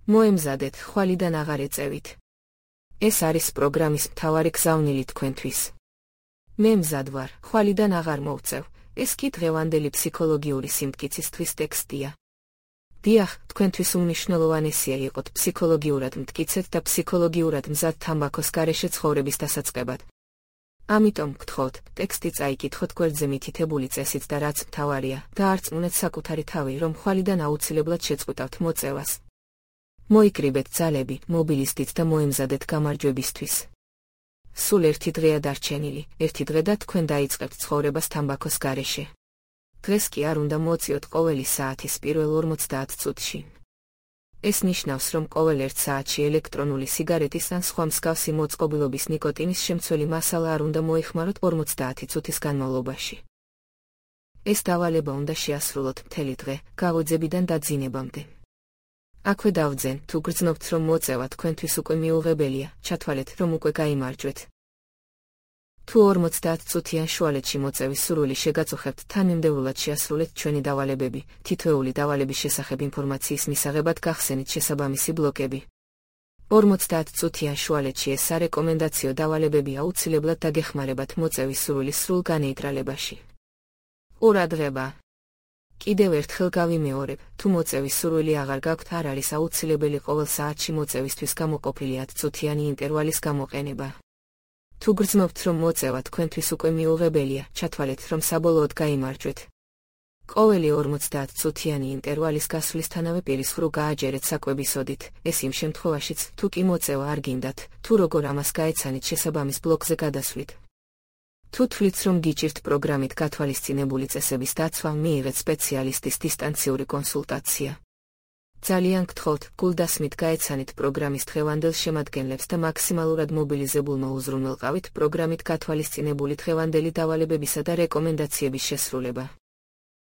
მოემზადეთ, ხვალიდან აღარ ეწევით. ეს არის პროგრამის მთავარი გზავნილი თქვენთვის. მე მზად ვარ, ხვალიდან აღარ მოვწევ. ეს კი დღევანდელი ფსიქოლოგიური სიმტკიცისთვის ტექსტია. დიახ, თქვენთვის უმნიშვნელოვანესია იყოთ ფსიქოლოგიურად მტკიცეთ და ფსიქოლოგიურად მზად თამბაქოს გარეშე ცხოვრების დასაწყებად. ამიტომ გთხოვთ, ტექსტი წაიკითხოთ გვერდზე მითითებული წესით და რაც მთავარია, დაარწმუნეთ საკუთარი თავი, რომ ხვალიდან აუცილებლად შეწყვიტავთ მოწევას. მოიკრიბეთ ძალები, მობილისტით და მოემზადეთ გამარჯვებისთვის. სულ ერთი დღეა დარჩენილი, ერთი დღე და თქვენ დაიწყებთ ცხოვრებას თამბაქოს გარეშე. დღეს კი არ უნდა მოწიოთ ყოველი საათის პირველ 50 წუთში. ეს ნიშნავს, რომ ყოველ 1 საათში ელექტრონული სიგარეტის ან სხვა მსგავსი მოწყობილობის ნიკოტინის შემცველი მასალა არ უნდა მოიხმაროთ 50 წუთის განმავლობაში. ეს დავალება უნდა შეასრულოთ მთელი დღე, გავოძებიდან დაძინებამდე. აქვე დავძენ, თუ გრძნობთ, რომ მოწევა თქვენთვის უკვე მიუღებელია, ჩათვალეთ, რომ უკვე გაიმარჯვეთ. თუ 50 წუთიან შუალედში მოწევის სურვილი შეგაწუხებთ, თანმიმდევრულად შეასრულეთ ჩვენი დავალებები, თითოეული დავალების შესახებ ინფორმაციის მისაღებად გახსენით შესაბამისი ბლოკები. 50 წუთიან შუალედში ეს სარეკომენდაციო დავალებები აუცილებლად დაგეხმარებათ მოწევის სურვილის სრულ განეიტრალებაში. ყურადღება! კიდევ ერთხელ გავიმეორებ, თუ მოწევის სურვილი აღარ გაქვთ, არ არის აუცილებელი ყოველ საათში მოწევისთვის გამოყოფილი 10 წუთიანი ინტერვალის გამოყენება. თუ გრძნობთ, რომ მოწევა თქვენთვის უკვე მიუღებელია, ჩათვალეთ, რომ საბოლოოდ გაიმარჯვეთ. ყოველი 50 წუთიანი ინტერვალის გასვლისთანავე პირის ღრუ გააჯერეთ საკვების ოდით, ეს იმ შემთხვევაშიც, თუ კი მოწევა არ გინდათ, თუ როგორ ამას გაეცანით შესაბამის ბლოკზე გადასვლით. თუ თვლით, რომ გიჭირთ პროგრამით გათვალისწინებული წესების დაცვა, მიიღეთ სპეციალისტის დისტანციური კონსულტაცია. ძალიან გთხოვთ, გულდასმით გაეცანით პროგრამის დღევანდელ შემადგენლებს და მაქსიმალურად მობილიზებულმა უზრუნველყავით პროგრამით გათვალისწინებული დღევანდელი დავალებებისა და რეკომენდაციების შესრულება.